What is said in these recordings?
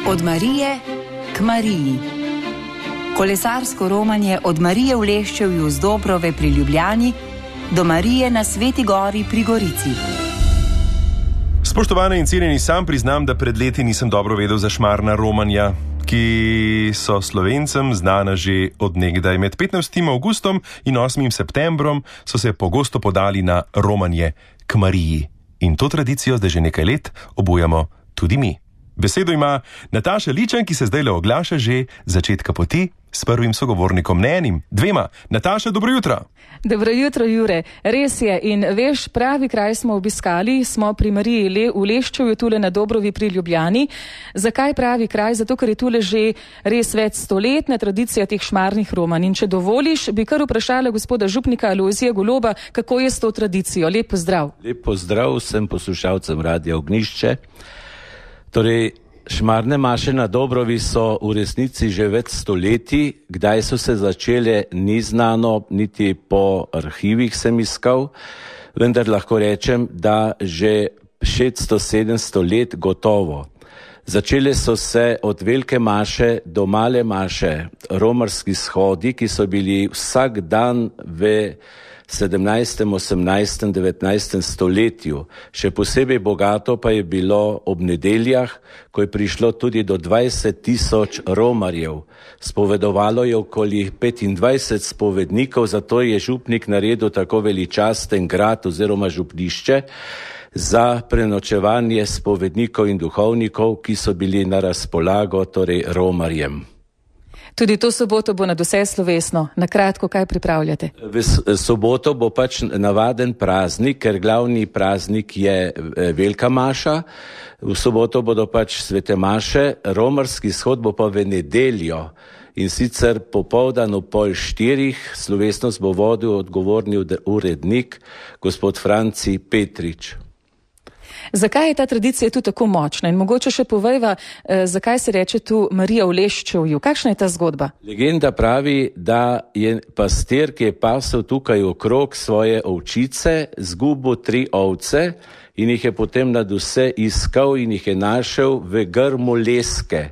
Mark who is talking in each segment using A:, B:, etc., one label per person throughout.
A: Od Marije k Mariji. Kolesarsko romanje od Marije v Leščevju z Dobrove pri Ljubljani do Marije na Sveti Gori pri Gorici.
B: Spoštovane in cenjeni, sam priznam, da pred leti nisem dobro vedel za šmarna romanja, ki so Slovencem znana že od nekdaj. Med 15. avgustom in 8. septembrom so se pogosto podali na romanje k Mariji. In to tradicijo zdaj že nekaj let obujamo tudi mi. Besedo ima Nataša Ličan, ki se zdaj le oglaša že začetka poti s prvim sogovornikom, ne enim, dvema. Nataša, dobro jutro.
C: Dobro jutro, Jure. Res je, in veš, pravi kraj smo obiskali, smo pri Mariji v Leščevju, tule na Dobrovi pri Ljubljani. Zakaj pravi kraj? Zato, ker je tule že res več stoletna tradicija teh šmarnih romanj. In če dovoliš, bi kar vprašala gospoda župnika Alojzija Goloba, kako je s to tradicijo. Lep pozdrav.
D: Lep pozdrav vsem poslušalcem Radia Ognjišče. Torej, šmarne maše na Dobrovi so v resnici že več stoletij. Kdaj so se začele, ni znano, niti po arhivih sem iskal, vendar lahko rečem, da že 600-700 let gotovo. Začele so se od velike maše do male maše, romarski shodi, ki so bili vsak dan v 17., 18., 19. stoletju. Še posebej bogato pa je bilo ob nedeljah, ko je prišlo tudi do 20,000 romarjev. Spovedovalo je okoli 25 spovednikov, zato je župnik naredil tako veličasten grad oziroma župnišče za prenočevanje spovednikov in duhovnikov, ki so bili na razpolago, torej romarjem.
C: Tudi to soboto bo nadvse slovesno. Na kratko, kaj pripravljate?
D: V soboto bo pač navaden praznik, ker glavni praznik je velika maša. V soboto bodo pač svete maše, romarski shod bo pa v nedeljo. In sicer popoldan ob 3:30, slovesnost bo vodil odgovorni urednik, gospod Franci Petrič.
C: Zakaj je ta tradicija tu tako močna? In mogoče še povejva, zakaj se reče tu Marija v Leščevju? Kakšna je ta zgodba?
D: Legenda pravi, da je pastir, ki je pasel tukaj okrog svoje ovčice, zgubil 3 ovce in jih je potem nad vse iskal in jih je našel v grmu leske.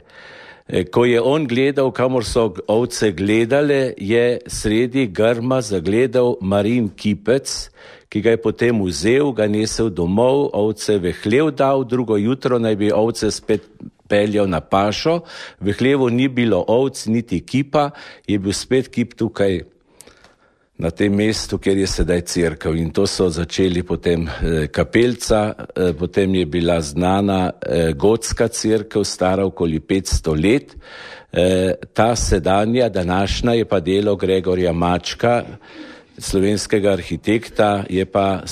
D: Ko je on gledal, kamor so ovce gledale, je sredi grma zagledal Marijin kipec, ki ga je potem vzel, ga nesel domov, ovce v hlev dal, drugo jutro naj bi ovce spet peljal na pašo. V hlevu ni bilo ovc, niti kipa, je bil spet kip tukaj na tem mestu, kjer je sedaj cerkev. In to so začeli potem kapelca, potem je bila znana gotska cerkev, stara okoli 500 let. Ta sedanja, današnja, je pa delo Gregorja Mačka, slovenskega arhitekta, je pa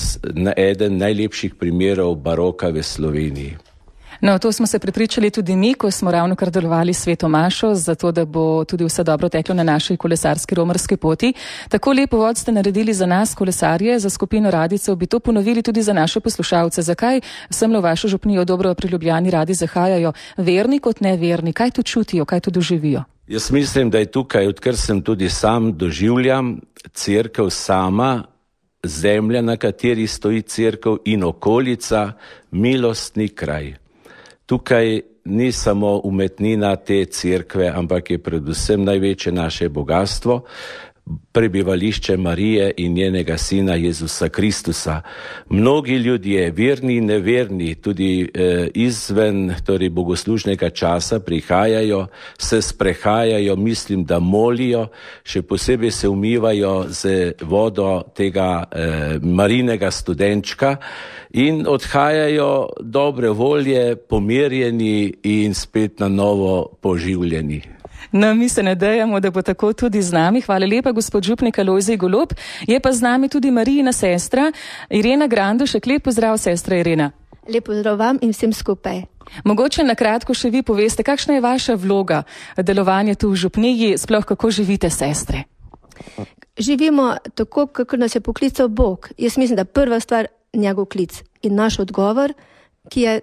D: eden najlepših primerov baroka v Sloveniji.
C: No, to smo se prepričali tudi mi, ko smo ravno kar delovali sveto mašo, zato da bo tudi vse dobro teklo na naši kolesarski romarski poti. Tako lep uvod ste naredili za nas, kolesarje, za skupino radijcev, bi to ponovili tudi za naše poslušalce. Zakaj semle v vašo župnijo Dobro pri Ljubljani radi zahajajo, verni kot neverni? Kaj tu čutijo, kaj tu doživijo?
D: Jaz mislim, da je tukaj, odkar sem tudi sam doživljam, cerkev sama, zemlja, na kateri stoji cerkev in okolica, milostni kraj. Tukaj ni samo umetnina te cerkve, ampak je predvsem največje naše bogatstvo, prebivališče Marije in njenega sina Jezusa Kristusa. Mnogi ljudje, verni in neverni, tudi izven torej bogoslužnega časa prihajajo, se sprehajajo, mislim, da molijo, še posebej se umivajo z vodo tega Marijinega studenčka in odhajajo dobre volje, pomirjeni in spet na novo poživljeni.
C: No, mi se nadejamo, da bo tako tudi z nami. Hvala lepa, gospod župnik Alojzij Golob. Je pa z nami tudi Marijina sestra, Irena Grandušek. Lep pozdrav, sestra Irena.
E: Lep pozdrav vam in vsem skupaj.
C: Mogoče na kratko še vi poveste, kakšna je vaša vloga delovanja tu v župniji, sploh kako živite, sestre?
E: Živimo tako, kako nas je poklical Bog. Jaz mislim, da prva stvar njegov klic in naš odgovor, ki je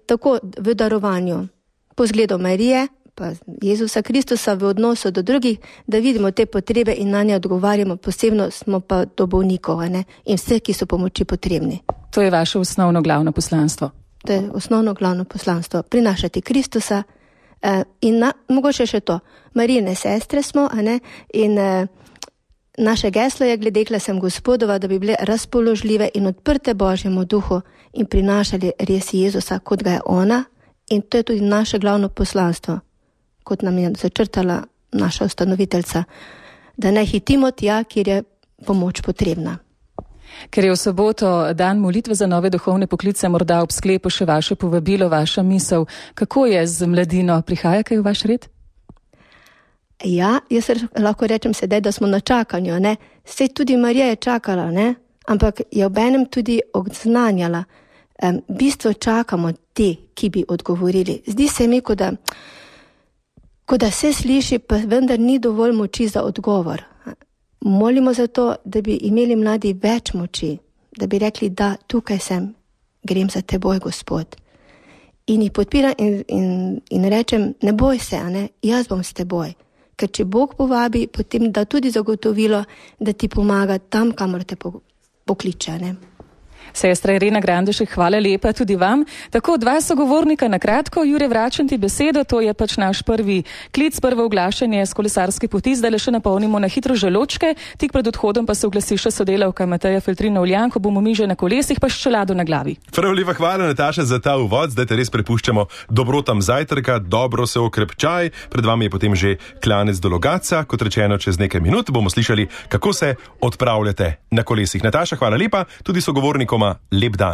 E: tako v darovanju po zgledu Marije, pa Jezusa Kristusa v odnosu do drugih, da vidimo te potrebe in na nje odgovarjamo, posebno smo pa do bolnikov, in vse, ki so pomoči potrebni.
C: To je vaše osnovno glavno poslanstvo.
E: To je osnovno glavno poslanstvo. Prinašati Kristusa, Mogoče še to, Marijine sestre smo, in naše geslo je glede sem Gospodova, da bi bile razpoložljive in odprte Božjemu duhu in prinašali res Jezusa, kot ga je ona, in to je tudi naše glavno poslanstvo, kot nam je začrtala naša ustanoviteljica, da ne hitimo tja, kjer je pomoč potrebna.
C: Ker je v soboto dan molitve za nove duhovne poklice, morda ob sklepu še vaše povabilo, vaša misel, kako je z mladino, prihaja kaj v vaš red?
E: Ja, jaz lahko rečem sedaj, da smo na čakanju, Saj tudi Marija je čakala, ampak je obenem tudi odznanjala. Bistvo čakamo te, ki bi odgovorili. Zdi se mi, kot da se sliši, pa vendar ni dovolj moči za odgovor. Molimo za to, da bi imeli mladi več moči, da bi rekli, da tukaj sem, grem za teboj, Gospod. In jih podpiram in rečem, ne boj se, jaz bom s teboj. Ker če Bog povabi, potem da tudi zagotovilo, da ti pomaga tam, kamor te pokliče.
C: Sestra Irena Grandušek, hvala lepa tudi vam. Tako, dva sogovornika na kratko. Jure, vračam ti besedo, to je pač naš prvi klic, prvo oglašanje z kolesarske poti. Zdaj le še napolnimo na hitro želočke, tik pred odhodom pa se oglasi še sodelavka Mateja Feltrina-Uljan, ko bomo mi že na kolesih, pa s čelado na glavi.
B: Prav lepa hvala, Nataša, za ta uvod. Zdaj te res prepuščamo dobrotam zajtrka, dobro se okrepčaj. Pred vami je potem že klanec do Logatca. Kot rečeno, čez nekaj minut bomo slišali, kako se odpravljate na kolesih. Nataša, hvala lepa, tudi sogovornikom lep dan.